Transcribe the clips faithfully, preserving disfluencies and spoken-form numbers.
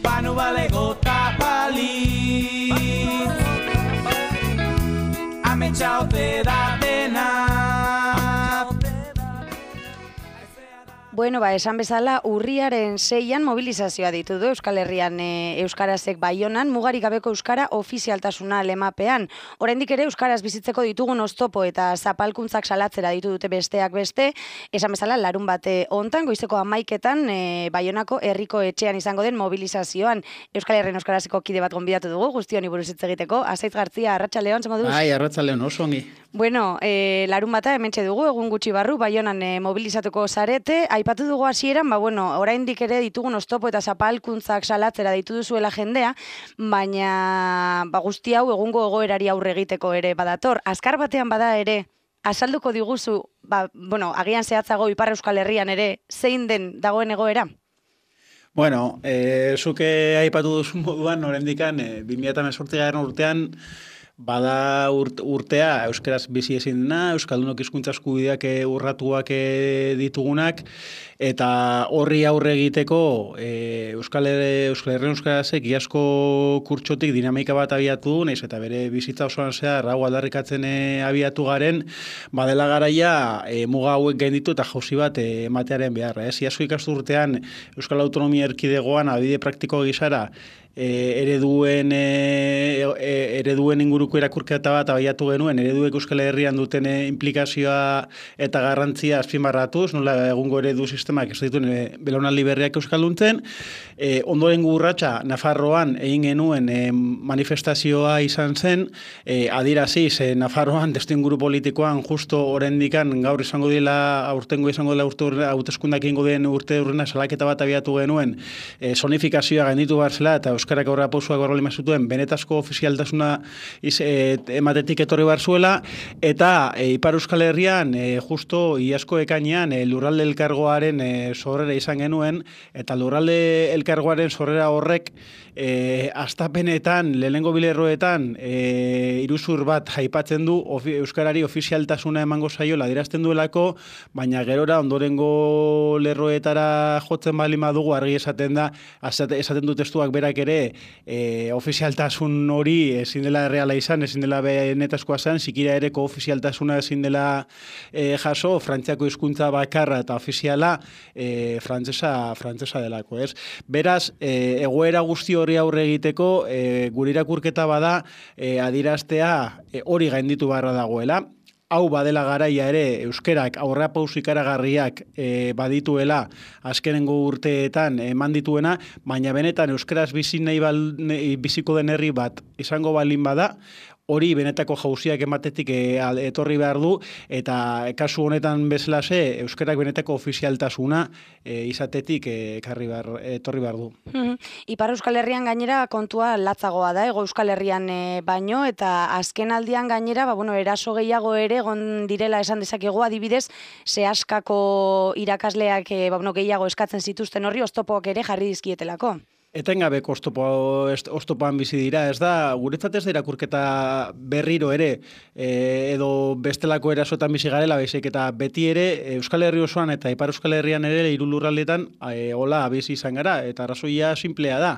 Banu balego ta bali Ametsa ote da dena. Bueno, ba, esan bezala, urriaren seian mobilizazioa ditu du Euskal Herrian e, Euskarazek Baionan, mugarik gabeko Euskara ofizialtasuna lemapean. Oraindik ere Euskaraz bizitzeko ditugun oztopo eta zapalkuntzak salatzera ditu dute besteak beste, esan bezala, larun bate hontan, goizeko hamaiketan, e, Baionako herriko etxean izango den mobilizazioan. Euskal Herrian Euskarazeko kide bat gonbidatu dugu, guztioni buruz hitz egiteko. Azaitz Gartzia, arratsaldeon, zer moduz? Bai, arratsaldeon, oso ongi. Bueno, e, larun bata hementxe dugu, egun gutxi barru, Baionan e, mobilizatuko zarete. Aipatu dugu hasieran, ba, bueno, oraindik ere ditugun oztopo eta zapalkuntzak salatzera ditu duzuela jendea, baina ba, guzti hau egungo egoerari aurre egiteko ere badator. Azkar batean bada ere, azalduko diguzu, ba, bueno, agian zehatzago Ipar Euskal Herrian ere, zein den dagoen egoera? Bueno, e, zuke aipatu duzu moduan, oraindikan e, bi mila hemezortzigarren urtean, bada urtea euskaraz bizi ezin dena, euskaldunok hizkuntza eskubideak urratuak ditugunak, eta horri aurre egiteko e, Euskal Herrian Euskarazek iazko kurtsotik dinamika bat abiatu, naiz eta bere bizitza osoan zehar hau aldarrikatzen e, abiatu garen, badela garaia e, muga hauek gainditu eta jauzi bat e, ematearen beharra. Ez? Iazko ikasturtean Euskal Autonomia Erkidegoan adibide praktiko gisara E, ereduen, e, e, ereduen inguruko irakurketa bat abiatu genuen, ereduek Euskal Herrian duten e, implikazioa eta garrantzia azpimarratuz, nola egungo eredu sistemak ez dituen e, belaunaldi berriak euskalduntzen. E, ondoren urratsa Nafarroan egin genuen e, manifestazioa izan zen, e, adiraziz, e, Nafarroan testuinguru politikoan justo oraindikan gaur izango dela, aurtengo izango dela urte hauteskundak egingo den urte urrena salaketa bat abiatu genuen, e, zonifikazioa gainditu behar zela eta euskarak aurra pausuak horrela zituen benetazko ofizialtasuna iz, e, ematetik etorri behar zuela, eta e, Ipar Euskal Herrian e, justo iazko ekainean e, lurralde elkargoaren e, sorrera izan genuen, eta lurralde elkargoaren sorrera horrek e, astapenetan, lehenengo bilerroetan e, iruzur bat aipatzen du ofi, euskarari ofizialtasuna emango zaiola adierazten duelako, baina gerora ondorengo lerroetara jotzen bali madugu argi esaten da, esaten du testuak berak ere E, ofizialtasun hori ezin dela erreala izan, ezin dela benetazkoa zen, zikira ere ofizialtasuna ezin dela e, jaso, frantziako hizkuntza bakarra eta ofiziala e, frantzesa, frantzesa delako, ez? Beraz, e, egoera guzti hori aurre egiteko, e, gure irakurketa bada e, adiraztea e, hori gainditu beharra dagoela. Hau badela garaia ere euskerak aurrerapauso ikaragarriak e, badituela azkenengo urteetan eman dituena, baina benetan euskaraz bizi nahi bal, ne, biziko den herri bat izango balin bada, hori benetako jauziak ematetik e, etorri behar du, eta kasu honetan bezalase euskarak benetako ofizialtasuna e, izatetik e, ekarri behar, etorri behar du. Mm-hmm. Ipar Euskal Herrian gainera kontua latzagoa da, Ego Euskal Herrian e, baino, eta azken aldian gainera, ba, bueno, eraso gehiago ere egon direla esan dezakegu, adibidez, zehaskako irakasleak e, ba, bueno, gehiago eskatzen zituzten horri, oztopoak ere jarri dizkietelako. Etengabeko oztopo, oztopoan bizi dira, ez da, guretzat ez da irakurketa berriro ere, e, edo bestelako erasotan bizi garela, baizik eta beti ere Euskal Herri osoan eta Ipar Euskal Herrian ere hiru lurraldetan e, hola bizi izan gara, eta arrazoia sinplea da.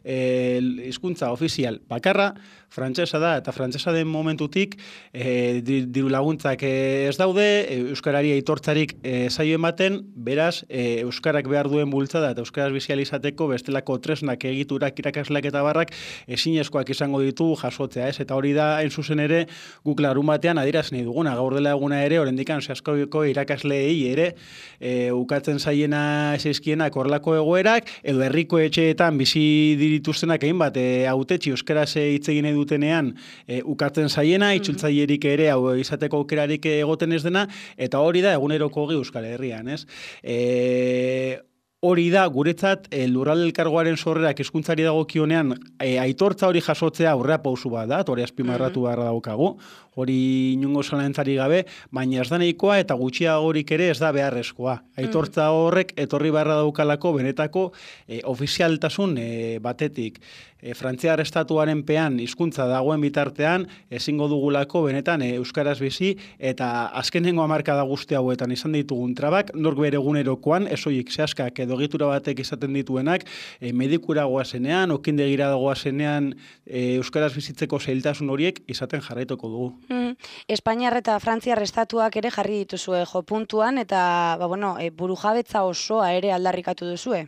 E, hizkuntza ofizial bakarra, frantsesa da, eta frantsesa den momentutik e, diru laguntzak ez daude, euskarari aitortzarik e, zaio ematen, beraz, e, euskarak behar duen bultzada eta euskaraz bizializateko bestelako tresnak egiturak irakasleak eta barrak ezinezkoak izango ditu jasotzea, ez? Eta hori da, hain zuzen ere, guk larun batean adieraz nahi duguna, gaur dela eguna ere, orendikan zehazkoiko irakasleei ere, e, ukatzen zaiena ezeizkienak horlako egoerak, edo herriko etxeetan bizi dituztenak egin bat, e, hautetxi euskaraz hitz egin dutenean e, ukatzen zaiena, itzultzailerik ere hau izateko aukerarik egoten ez dena, eta hori da eguneroko ogi Euskal Herrian, ez? E, hori da, guretzat, e, lurralde elkargoaren sorrerak hizkuntzari dagokionean e, aitortza hori jasotzea aurrea pausu bat da, hori azpimarratu beharra daukagu, hori inongo zalantzari gabe, baina ez da nahikoa eta gutxiagorik ere ez da beharrezkoa. Aitortza horrek etorri beharra daukalako benetako e, ofizialtasun e, batetik. E, Frantziar estatuaren pean hizkuntza dagoen bitartean ezingo dugulako benetan e, euskaraz bizi, eta azkenengo hamarkada guzti hauetan izan ditugun trabak, nork bere egunerokoan, ez horiek zehazkak edo egitura batek izaten dituenak, e, medikura goazenean, okindegira goazenean, e, euskaraz bizitzeko zailtasun horiek izaten jarraituko dugu. Mm. Espainiar eta Frantziar estatuak ere jarri dituzue jo puntuan, eta ba, bueno, e, burujabetza osoa ere aldarrikatu duzue.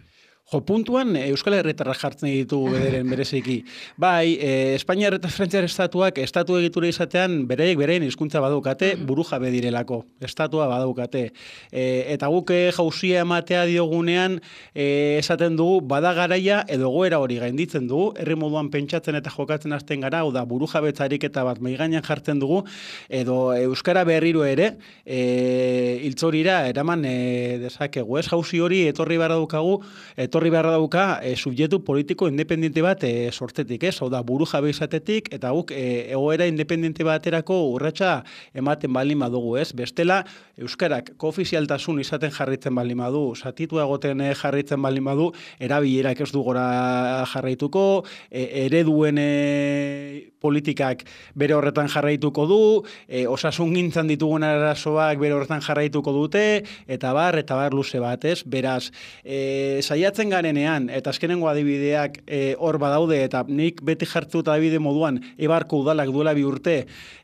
Jo, puntuan Euskal Herritarrak jartzen ditugu bederen bereziki. Bai, e, Espainiar eta Frantziar estatuak estatu egitura izatean bereiek berein hizkuntza badaukate, burujabe direlako, estatua badaukate. E, eta guk jauzia ematea diogunean e, esaten dugu bada garaia edo goera hori gainditzen dugu, herri moduan pentsatzen eta jokatzen hasten gara, hau da burujabetza ariketa bat maigainan jartzen dugu, edo euskara berriro ere e, hiltzorira eraman e, dezakegu. Ez jauzi hori etorri behar daukagu, etorri Horri beharra dauka e, subjektu politiko independiente bat e, sortetik, ez? Hau da, buru jabe izatetik, eta guk e, egoera independiente baterako urratsa ematen baldin badugu, ez? Bestela, euskarak koofizialtasun izaten jarritzen baldin badu, zatitua egoten jarritzen baldin badu, erabilerak ez du gora jarraituko, e, ereduen e, politikak bere horretan jarraituko du, e, osasun gintzan ditugun arazoak bere horretan jarraituko dute, eta bar, eta bar luze bat, ez? Beraz, e, saiatzen garenean, eta azkenengo adibideak e, hor badaude, eta nik beti jartut adibide moduan, Eibarko udalak duela bi urte,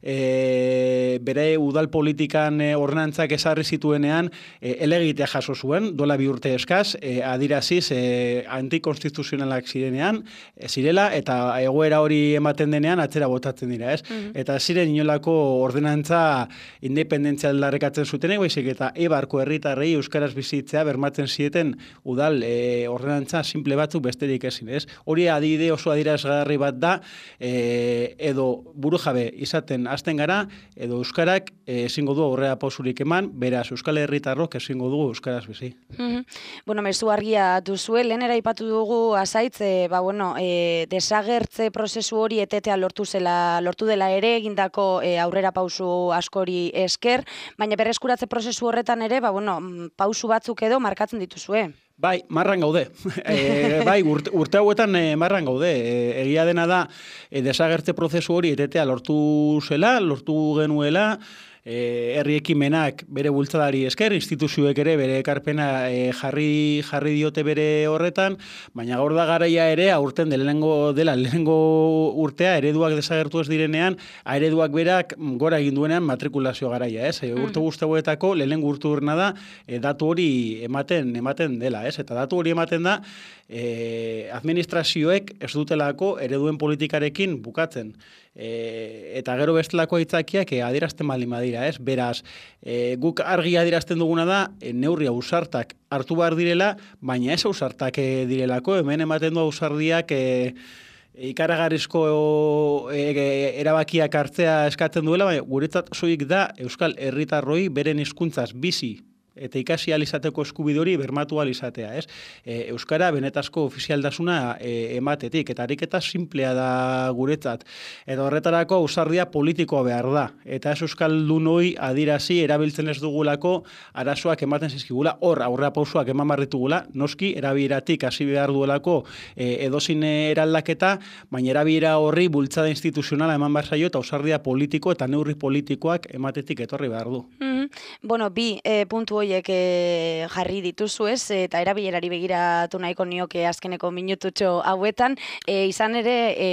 e, bere udal politikan e, ordenantzak ezarri zituenean, e, elegitea jaso zuen, duela bi urte eskaz, e, adiraziz e, antikonstituzionalak zirenean, e, zirela, eta egoera hori ematen denean, atzera botatzen dira, ez? Mm-hmm. Eta ziren inolako ordenantza independentzia aldarrikatzen zutenek, baizik, eta Eibarko herritarrei euskaraz bizitzea bermatzen zieten udal e, ordenantza simple batzuk besterik ezin, ez? Hori adibide oso adierazgarri bat da, e, edo burujabe izaten hasten gara, edo euskarak ezingo du aurrera pausurik eman, beraz Euskal Herritarrok ezingo dugu euskaraz bizi. Mm-hmm. Bueno, mezu argia duzue, lehen eraipatu dugu azaitz, e, ba, bueno, e, desagertze prozesu hori etetea lortu zela, lortu dela ere, egindako e, aurrera pausu askori esker, baina berreskuratze prozesu horretan ere, ba, bueno, pausu batzuk edo markatzen dituzue. Bai, marran gaude. e, bai, urte, urte hauetan e, marran gaude. E, egia dena da, e, desagertze prozesu hori etetea lortu zela, lortu genuela, E, herri ekimenak bere bultzadari esker, instituzioek ere bere ekarpena e, jarri jarri diote bere horretan, baina gaur da garaia ere aurten lehenengo dela lehenengo urtea ereduak desagertu ez direnean, ereduak berak gora egin duenean matrikulazio garaia, ez? E, urte guztietako lehenengo urte urna da e, datu hori ematen ematen dela, ez? Eta datu hori ematen da e, administrazioek ez dutelako ereduen politikarekin bukatzen. E, eta gero bestelako aitzakiak e, adierazten baldin badira, ez? Beraz, e, guk argi adierazten duguna da, e, neurri ausartak hartu behar direla, baina ez ausartak e, direlako, hemen ematen du ausardiak e, ikaragarrizko e, e, erabakiak hartzea eskatzen duela, baina guretzat soilik da Euskal Herritarroi beren hizkuntzaz bizi eta ikasi alizateko eskubide hori bermatu alizatea, ez? E, Euskara benetazko ofizialdasuna e, ematetik, eta ariketa simplea da guretzat. Eta horretarako ausardia politikoa behar da. Eta ez euskaldunoi adirazi erabiltzen ez dugulako arazoak ematen zizkigula, hor aurrea pausuak eman barritugula, noski erabileratik hasi behar duelako e, edozin eraldaketa, baina erabilera horri bultzada instituzionala eman behar zaio, eta ausardia politiko eta neurri politikoak ematetik etorri behar du. Mm-hmm. Bueno, bi e, puntu horiek e, jarri dituzu ez, eta erabilerari begiratu nahiko nioke azkeneko minututxo hauetan, e, izan ere e,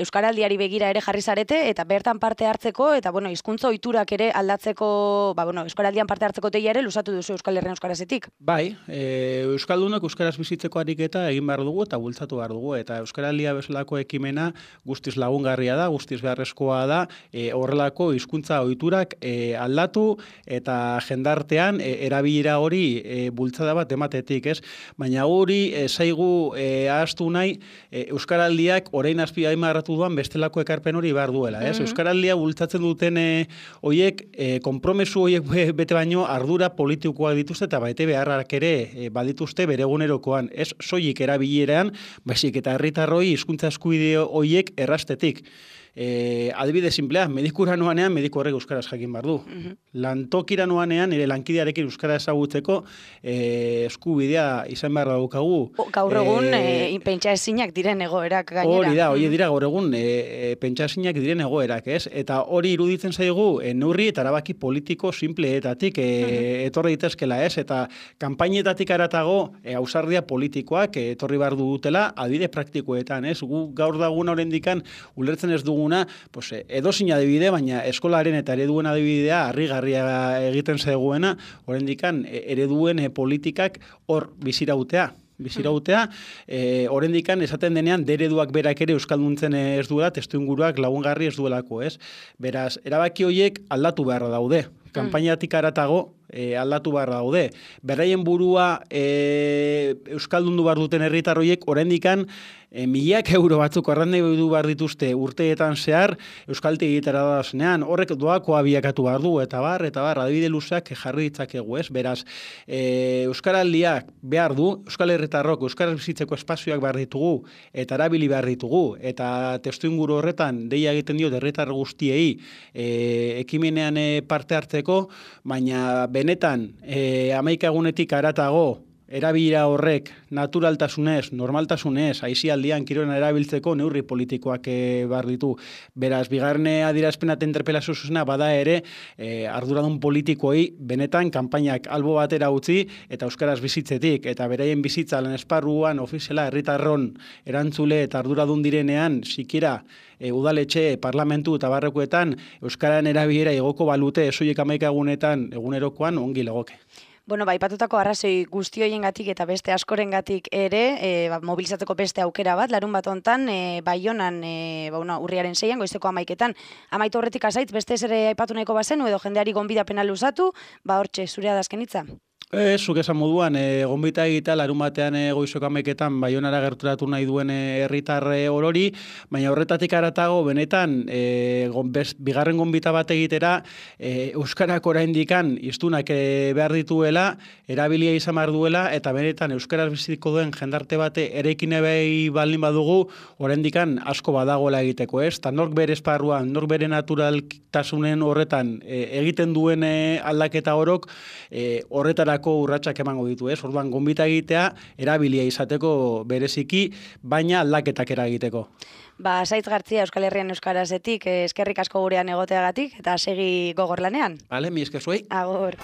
Euskaraldiari begira ere jarri zarete, eta bertan parte hartzeko, eta bueno, hizkuntza ohiturak ere aldatzeko, ba, bueno, Euskaraldian parte hartzeko teia ere lusatu duzu Euskal Herrian euskarazetik. Bai, e, Euskaldunok euskaraz bizitzeko ariketa egin behar dugu eta bultzatu behar dugu, eta Euskaraldia bezalako ekimena guztiz lagungarria da, guztiz beharrezkoa da, e, horrelako hizkuntza ohiturak e, aldatu, eta jendartean e, erabilera hori e, bultzada bat ematetik, ez? Baina hori e, zaigu e, ahaztu nahi e, Euskaraldiak orain azpia aimarratu duan bestelako ekarpen hori behar duela, ez? Mm-hmm. Euskaraldia bultzatzen duten e, oiek, e, konpromesu oiek bete baino ardura politikoak dituzte eta baite beharrak ere e, badituzte bere egunerokoan, ez soilik erabileran, baizik eta herritarroi hizkuntza eskubide oiek errastetik. E, adibide simplea, medikura noanean, mediku horrek euskaraz jakin behar du. Mm-hmm. Lantokira noanean, ere lankidearekin euskara ezagutzeko e, eskubidea izan behar daukagu. Gaur egun, e, e, pentsa ezinak diren egoerak gainera. Hori da, hori dira gaur egun, e, e, pentsa ezinak diren egoerak, ez? Eta hori iruditzen zaigu, e, neurri eta erabaki politiko simpleetatik e, mm-hmm. etorri ditezkela, ez? Eta kanpainetatik aratago, e, ausardia politikoak e, etorri behar dutela, adibide praktikoetan, ez? Gu gaur daguna orendikan ulertzen ez duguna, pues, edozin adibide, baina eskolaren eta ereduen adibidea harrigarria egiten zegoena, orendikan ereduen politikak hor bizirautea. Bizirautea, e, orendikan esaten denean dereduak berak ere euskalduntzen ez duela, testuinguruak lagungarri ez duelako, ez? Beraz, erabaki horiek aldatu beharra daude. Kanpainatik aratago e, aldatu behar daude. Beraien burua e, euskaldundu behar duten herritar horiek orendikan e, miliak euro batzuk arrandei du behar dituzte urteetan zehar euskalti egitera dazenean. Horrek doakoa biakatu behar du, eta bar, eta bar, adibide luzeak jarri ditzakegu, ez? Beraz, e, euskaraldiak behar du, euskal herritarrok euskaraz bizitzeko espazioak behar ditugu, eta erabili behar ditugu, eta testuinguru horretan deia egiten diot herritar guztiei e, ekimenean e, parte hartzeko, baina benetan e, hamaikagunetik aratago erabilera horrek naturaltasunez, normaltasunez, aisialdian kirolana erabiltzeko neurri politikoak e, behar ditu. Beraz, bigarren adierazpena eta interpelazio zuzena bada ere e, arduradun politikoei benetan kanpainak albo batera utzi eta euskaraz bizitzetik, eta beraien bizitza lan esparruan ofiziala herritarron erantzule eta arduradun direnean sikiera e, udaletxe, parlamentu eta barrekoetan euskaran erabilera igoko balute esoiek hamaikagunetan egunerokoan ongi legoke. Bueno, ba, ipatutako arrazoi guzti hoiengatik eta beste askorengatik ere, e, ba, mobilizatzeko beste aukera bat, larun bat hontan, e, Baionan, e, ba, una, urriaren seian, goizeko amaiketan, amaitu horretik azaitz, beste ere aipatu nahiko bazenu, edo jendeari gonbidapena luzatu, ba, hortxe, zurea da azken hitza. Ez, zuk esan moduan, e, gonbita egita, larun batean e, goizoko amaiketan Baionara gerturatu nahi duen herritar e, orori, baina horretatik aratago, benetan, e, gonbez, bigarren gonbita bat egitera, e, euskarak oraindikan iztunak e, behar dituela, erabilia izan behar duela, eta benetan euskaraz bizitiko duen jendarte bate erekin ebei baldin badugu, oraindikan asko badagoela egiteko, ez? Ta nork bere esparruan, nork bere naturaltasunen horretan e, egiten duen e, aldaketa horok, e, horretara urratsak emango ditu, ez? Orduan gonbita egitea erabilia izateko bereziki, baina aldaketak eragiteko. Ba, Saitz Gartzia Euskal Herrian euskarazetik, eskerrik asko gurean egoteagatik eta segi gogor lanean. Vale, mi esker zuei. Agor.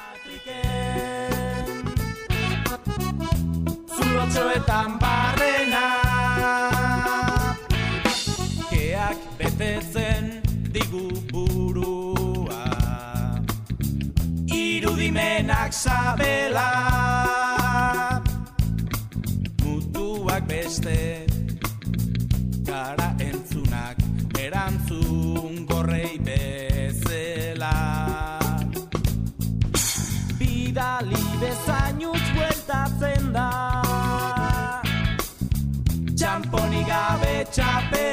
Zulotxoetan barrena keak betetzen digu burua, irudimenak sabela, mutuak beste, gara entzunak erantzun gorrei bezela. Bidali bezainuz bueltatzen da, txamponi gabe txape